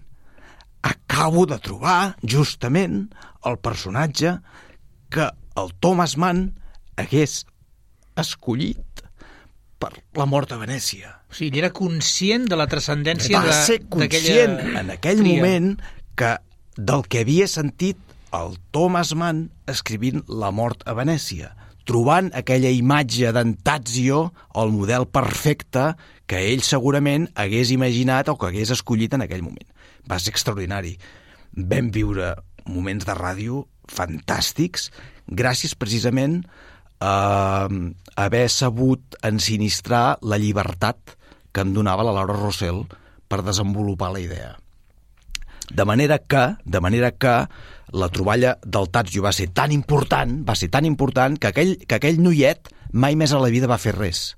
Acabo de trobar, justament, el personatge que el Thomas Mann hagués escollit per La mort a Venècia. O sigui, ell era conscient de la transcendència Va ser conscient en aquell tria. moment que del que havia sentit el Thomas Mann escrivint La mort a Venècia, trobant aquella imatge d'en Tazio, el model perfecte que ell segurament hagués imaginat o que hagués escollit en aquell moment. Va ser extraordinari. Vam viure moments de ràdio fantàstics, gràcies precisament a haver sabut ensinistrar la llibertat que em donava la Laura Rossell per desenvolupar la idea. De manera que, de manera que la troballa del Tazio va ser tan important, va ser tan important que aquell, que aquell noiet mai més a la vida va fer res.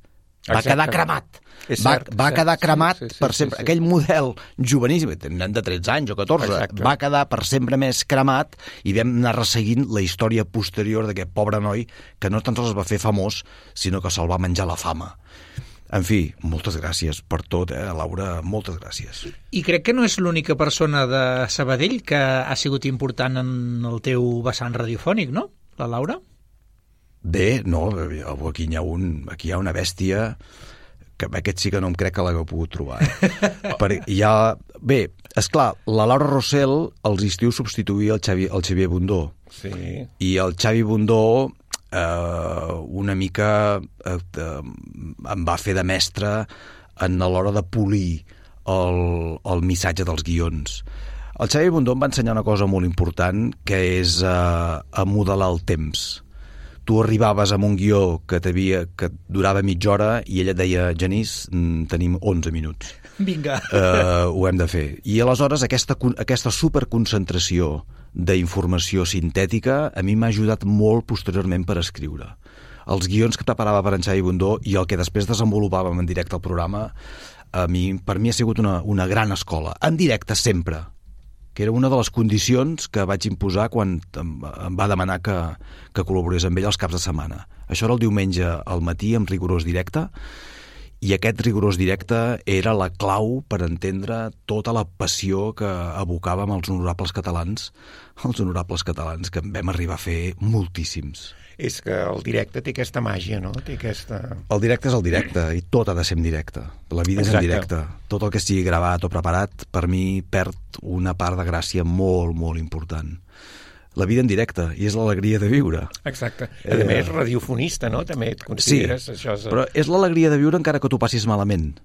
Va Exacte. quedar cremat. Va, cert, va cert, quedar cremat sí, sí, sí, per sempre. Sí, sí. Aquell model joveníssim, tenen de tretze anys o catorze, Exacte. va quedar per sempre més cremat, i vam anar resseguint la història posterior d'aquest pobre noi que no tan sols es va fer famós, sinó que se'l va menjar la fama. En fi, moltes gràcies per tot, eh, Laura, moltes gràcies. I crec que no és l'única persona de Sabadell que ha sigut important en el teu vessant radiofònic, no? La Laura? Bé, no, aquí hi ha, un, aquí hi ha una bèstia que aquest sí que no em crec que l'hagueu pogut trobar. Eh? Per, ja, bé, esclar, la Laura Rossell als estius substituïa el, Xavi, el Xavier Bundó. Sí. I el Xavi Bundó eh, una mica eh, em va fer de mestre en l'hora de polir el, el missatge dels guions. El Xavi Bundó em va ensenyar una cosa molt important, que és eh, a modelar el temps. Tu arribaves amb un guió que, que durava mitja hora i ella et deia, Genís, tenim onze minuts. Vinga. Uh, ho hem de fer. I aleshores aquesta, aquesta superconcentració d'informació sintètica a mi m'ha ajudat molt posteriorment per escriure. Els guions que preparava per en Xavi Bundó i el que després desenvolupàvem en directe al programa, a mi, per mi ha sigut una, una gran escola. En directe sempre, que era una de les condicions que vaig imposar quan em va demanar que, que col·laborés amb ell els caps de setmana. Això era el diumenge al matí, amb rigorós directe, i aquest rigorós directe era la clau per entendre tota la passió que abocàvem els honorables catalans, els honorables catalans, que en vam arribar a fer moltíssims. És que el directe té aquesta màgia, no? Té aquesta... El directe és el directe, i tot ha de ser en directe. La vida Exacte. És en directe. Tot el que estigui gravat o preparat, per mi, perd una part de gràcia molt, molt important. La vida en directe, i és l'alegria de viure. Exacte. A eh... més, radiofonista, no? També et consideres... Sí, això és... però és l'alegria de viure encara que tu passis malament.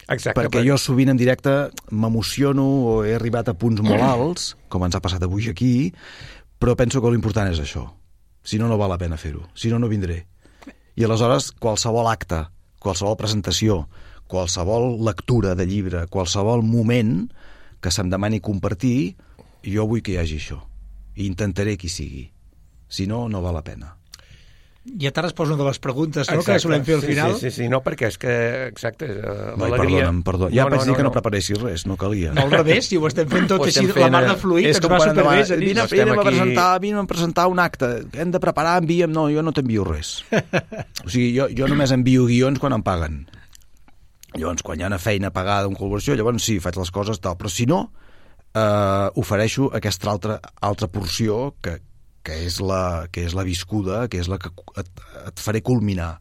Exacte. Perquè però... jo sovint en directe m'emociono o he arribat a punts molt alts, com ens ha passat avui aquí, però penso que l'important és això. Si no, no val la pena fer-ho. Si no, no vindré. I aleshores, qualsevol acte, qualsevol presentació, qualsevol lectura de llibre, qualsevol moment que se'm demani compartir, jo vull que hi hagi això. I intentaré que hi sigui. Si no, no val la pena. Ja t'ha respost una de les preguntes, no?, exacte, que solem fer al sí, final. Sí, sí, sí, no, perquè és que, exacte, uh, no, perdona'm, perdona. Ja no, vaig no, dir no, que no, no preparessis res, no calia. No, al revés, si ho estem fent tot així, fent, la mar de fluid, ens va superbé. Vine, vine, a presentar, vine a presentar un acte, hem de preparar, envia'm, no, jo no t'envio res. O sigui, jo, jo només envio guions quan em paguen. Llavors, quan hi ha una feina pagada, una col·laboració, llavors sí, faig les coses tal, però si no, eh, ofereixo aquesta altra, altra porció que que és, la, que és la viscuda, que és la que et, et faré culminar,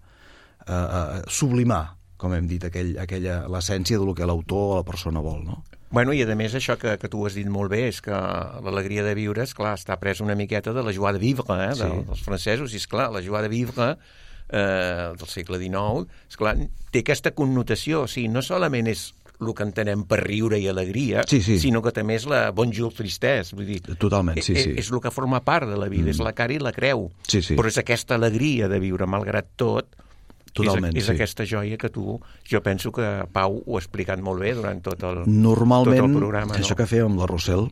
eh, eh, sublimar, com hem dit, aquell, aquella, l'essència del que l'autor o la persona vol, no? Bueno, i a més això que, que tu has dit molt bé és que l'alegria de viure, esclar, està pres una miqueta de la joie de vivre, eh, sí. dels francesos, i esclar, la joie de vivre eh, del segle dinou, esclar, té aquesta connotació, o sigui, no solament és el que entenem per riure i alegria, sí, sí. sinó que també és la bonjour tristesse, vull dir... Totalment, sí, sí. És, és el que forma part de la vida, mm. és la cara i la creu, sí, sí. però és aquesta alegria de viure, malgrat tot, totalment, és, és sí. aquesta joia que tu, jo penso que Pau ho ha explicat molt bé durant tot el, normalment, tot el programa. Això no? que fèiem amb la Rossell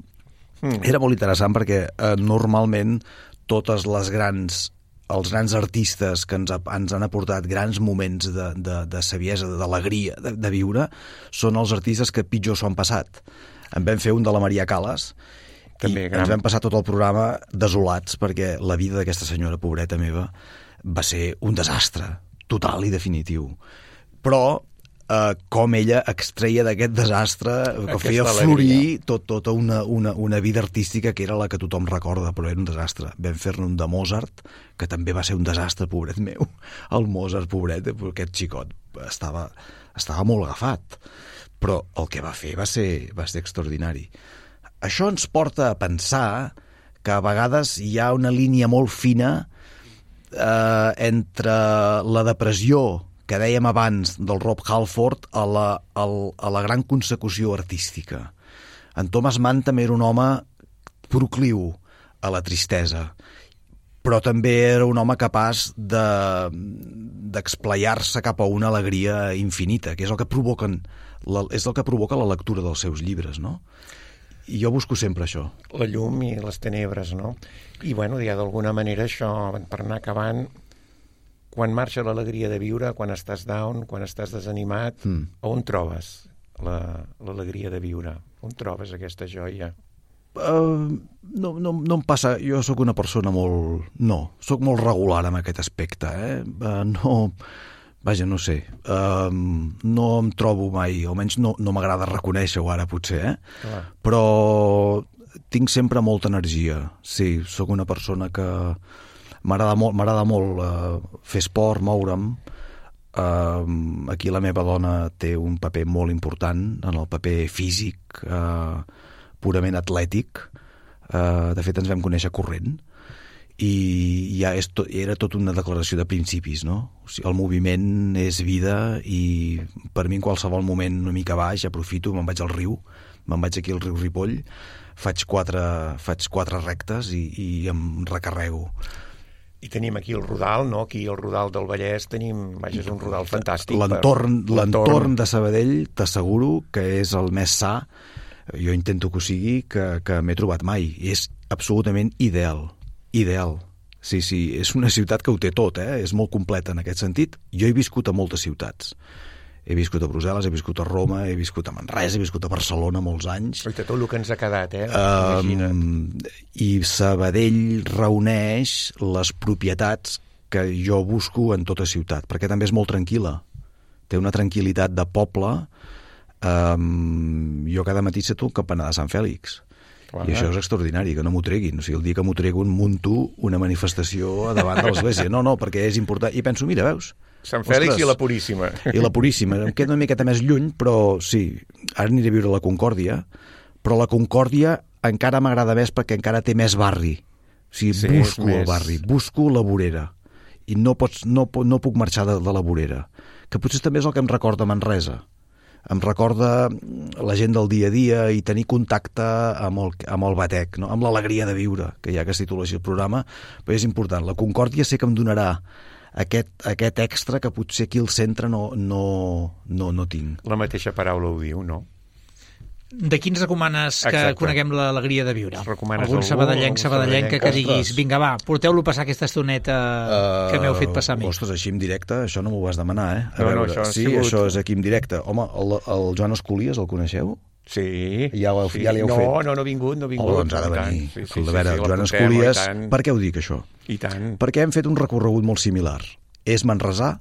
mm. era molt interessant perquè eh, normalment totes les grans els grans artistes que ens, ha, ens han aportat grans moments de, de, de saviesa, d'alegria, de, de viure, són els artistes que pitjor s'ho han passat. En vam fer un de la Maria Callas també, i gran. Ens vam passar tot el programa desolats perquè la vida d'aquesta senyora, pobreta meva, va ser un desastre total i definitiu. Però Uh, com ella extreia d'aquest desastre, que aquesta feia florir tot, tota una, una, una vida artística que era la que tothom recorda, però era un desastre. Vam fer-ne un de Mozart, que també va ser un desastre, pobret meu. El Mozart, pobret, aquest xicot estava, estava molt agafat. Però el que va fer va ser, va ser extraordinari. Això ens porta a pensar que a vegades hi ha una línia molt fina eh, entre la depressió que dèiem abans del Rob Halford a la, a la gran consecució artística. En Thomas Mann també era un home procliu a la tristesa, però també era un home capaç de, d'explayar-se cap a una alegria infinita, que és el que provoquen, la, és el que provoca la lectura dels seus llibres, no? I jo busco sempre això. La llum i les tenebres, no? I, bueno, ja d'alguna manera això, per anar acabant, quan marxa l'alegria de viure, quan estàs down, quan estàs desanimat, mm. on trobes la, l'alegria de viure? On trobes aquesta joia? Uh, no, no, no em passa... Jo sóc una persona molt... No, sóc molt regular en aquest aspecte, eh? Uh, no... Vaja, no sé. Uh, no em trobo mai, almenys no, no m'agrada reconèixer-ho ara, potser, eh? Clar. Però tinc sempre molta energia. Sí, sóc una persona que... M'agrada molt, m'agrada molt uh, fer esport, moure'm. Uh, aquí la meva dona té un paper molt important en el paper físic, uh, purament atlètic. Uh, de fet, ens vam conèixer corrent i ja és tot, era tot una declaració de principis, no? O sigui, el moviment és vida i per mi en qualsevol moment una mica baix aprofito, me'n vaig al riu, me'n vaig aquí al riu Ripoll, faig quatre, faig quatre rectes i, i em recarrego. I tenim aquí el Rodal, no? Aquí el Rodal del Vallès tenim, vaja, és un Rodal fantàstic. L'entorn per... l'entorn de Sabadell t'asseguro que és el més sa, jo intento que ho sigui, que, que m'he trobat mai. I és absolutament ideal, ideal. Sí, sí, és una ciutat que ho té tot, eh? És molt completa en aquest sentit. Jo he viscut a moltes ciutats. He viscut a Brussel·les, he viscut a Roma, he viscut a Manresa, he viscut a Barcelona molts anys. Oita, tot el que ens ha quedat, eh? Um, I Sabadell reuneix les propietats que jo busco en tota ciutat, perquè també és molt tranquil·la. Té una tranquil·litat de poble. Um, jo cada matí sé tu el campanar de Sant Fèlix. Clar. I això és extraordinari, que no m'ho treguin. O sigui, el dia que m'ho treguin munto una manifestació davant de l'església. No, no, perquè és important. I penso, mira, veus? Sant Fèlix. Ostres, i la Puríssima. I la Puríssima. Em queda una miqueta més lluny, però sí, ara aniré a viure a la Concòrdia, però la Concòrdia encara m'agrada més perquè encara té més barri. O sigui, sí, busco el més... barri, busco la vorera. I no, pots, no, no puc marxar de, de la vorera. Que potser també és el que em recorda Manresa. Em recorda la gent del dia a dia i tenir contacte amb el, amb el batec, no? Amb l'alegria de viure, que ja que es titula així el programa, però és important. La Concòrdia sé que em donarà aquest, aquest extra que potser aquí al centre no, no, no, no tinc. La mateixa paraula ho diu, no? De qui ens recomanes que Exacte. Coneguem l'alegria de viure? Recomanes algun algú, sabadellenc, sabadellenca que diguis, Ostres. vinga va, porteu-lo a passar aquesta estoneta uh, que m'heu fet passar a mi. Ostres, així en directe, això no m'ho vas demanar, eh? A no, veure, no, això sí, sigut... això és aquí en directe. Home, el, el Joan Escolies, el coneixeu? Sí. Ja, ho, sí. ja l'heu no, fet? No, no ha vingut, no ha vingut. Oh, doncs ha de venir. Sí, sí, a veure, sí, sí, Joan Escolies, per què ho dic, això? I tant. Perquè hem fet un recorregut molt similar. És manresà,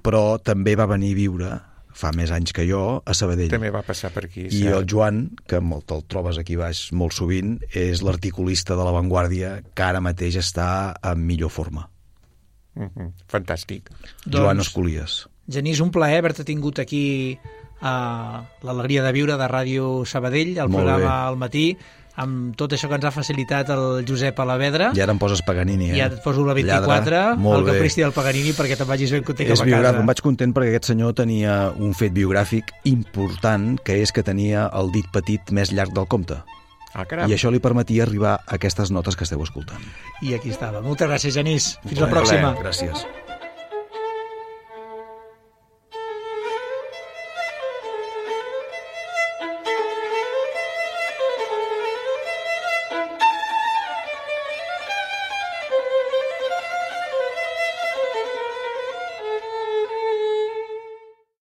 però també va venir a viure fa més anys que jo, a Sabadell. També va passar per aquí. I el Joan, que te'l trobes aquí baix molt sovint, és l'articulista de La Vanguardia, que ara mateix està en millor forma. Mm-hmm. Fantàstic. Doncs, Joan Escolies. Genís, un plaer haver-te tingut aquí a l'Alegria de Viure de Ràdio Sabadell, el molt programa bé. al matí, amb tot això que ens ha facilitat el Josep Alavedra. I ara em poses Paganini, eh? I ara et poso la vint-i-quatre, el caprici del Paganini, perquè te'n vagis ben content cap a casa. Em vaig content perquè aquest senyor tenia un fet biogràfic important, que és que tenia el dit petit més llarg del compte. Ah, caram. I això li permetia arribar a aquestes notes que esteu escoltant. I aquí estava. Moltes gràcies, Genís. Fins Molt la pròxima. Gràcies.